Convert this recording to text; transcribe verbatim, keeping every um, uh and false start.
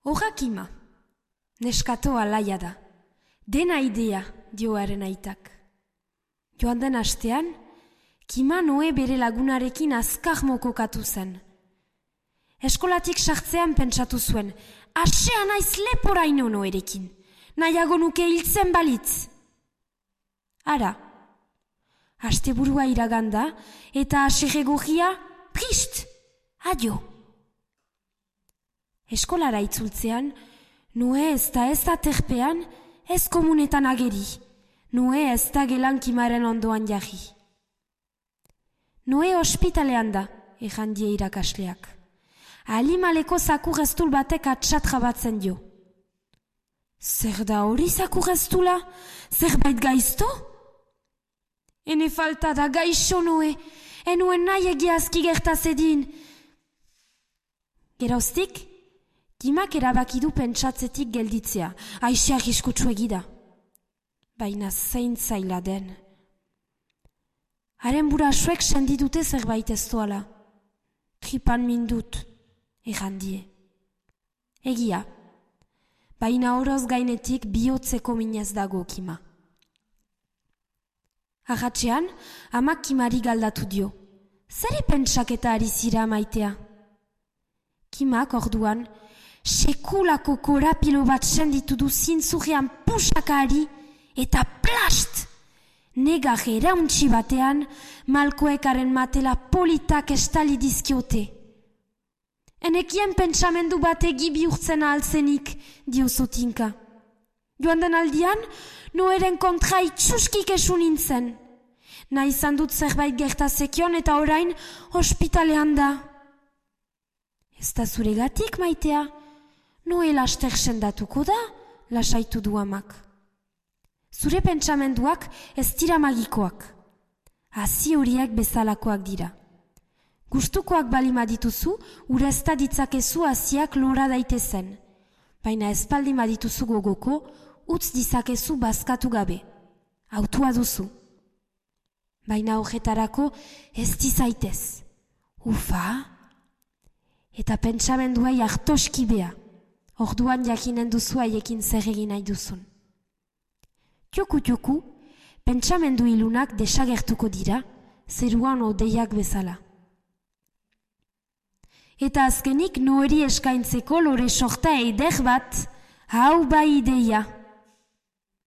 Horra Kima, neskato alaia da, dena idea dioaren aitak. Joan den astean, Kima Noe bere lagunarekin azkar mokokatu zen. Eskolatik sartzean pentsatu zuen, asea naiz leporaino Noerekin, nahiago nuke hiltzen balitz. Ara, asteburua iraganda eta asegegogia prist, adio. Eskolara itzultzean, Noe ez da ez da terpean, ez komunetan ageri, Noe ez da gelan Kimaren ondoan jarri. Noe ospitalean da, ejan die irakasleak. Alimaleko zakurreztul batek atxatra batzen dio. Zer da hori zakurreztula? Zerbait gaizto? Ene falta da gaixo Noe, enuen nahi egiazki gertazedin. Geroztik, Kimak erabaki du pentsatzetik gelditzea, aise arriskutsu egida. Baina zein zaila den. Haren burasuek sendidute zerbait ez doala. Tripan mindut, errandie. Egia, baina horoz gainetik bihotzeko minez dago Kima. Ahatxean, amak Kimari galdatu dio. Zeri pentsaketa ari zira maitea? Kimak orduan, sekulako korapilo bat senditu du zintzurrean pusakari eta plast! Negar erauntxi batean, malkoekaren matela politak estali dizkiote. Enekien pentsamendu bat egi bihurtzen ahaltzenik, dio zotinka. Joan den aldian, Noeren kontra itxuskik esu nintzen. Nahi izan dut zerbait gertazekion eta orain ospitalean da. Ez da zuregatik maitea, Noe laster sendatuko da, lasaitu du amak. Zure pentsamenduak ez dira magikoak. Hazi horiek bezalakoak dira. Gustukoak balima dituzu, urezta ditzakezu haziak lora daitezen. Baina espaldi madituzu gogoko, utz dizakezu bazkatu gabe. Autua duzu. Baina horretarako ez dizaitez. Ufa! Eta pentsamenduai hartoski bea. Orduan jakinen duzu haiekin zer egin nahi duzun. Tioku-tioku, pentsamendu ilunak desagertuko dira, zeruan odeiak bezala. Eta azkenik Noeri eskaintzeko lore sorta eider bat, hau bai ideia.